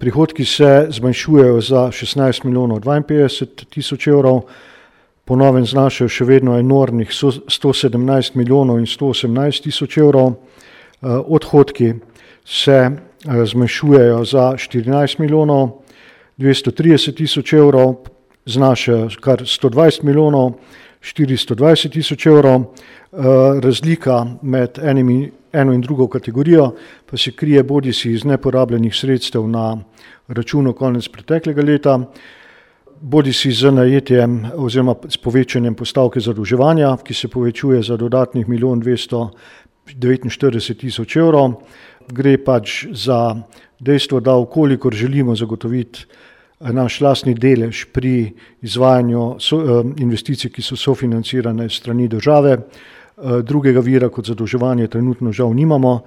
Prihodki se zmanjšujejo za 16 milijonov 52 tisoč evrov, po novem znašajo še vedno enormnih 117 milijonov in 118 tisoč evrov. Odhodki se zmanjšujejo za 14 milijonov 230 tisoč evrov, znašajo kar 120 milijonov 420 tisoč evrov. Razlika med eno in drugo kategorijo pa se krije bodisi iz neporabljenih sredstev na računu konec preteklega leta, bodisi z najetjem oziroma s povečanjem postavke zadolževanja, ki se povečuje za dodatnih 1 249 tisoč evrov. Gre pač za dejstvo, da ukolikor želimo zagotoviti naš lastni delež pri izvajanju investicij, ki so sofinancirane s strani države, drugega vira kot zadolževanje trenutno žal nimamo.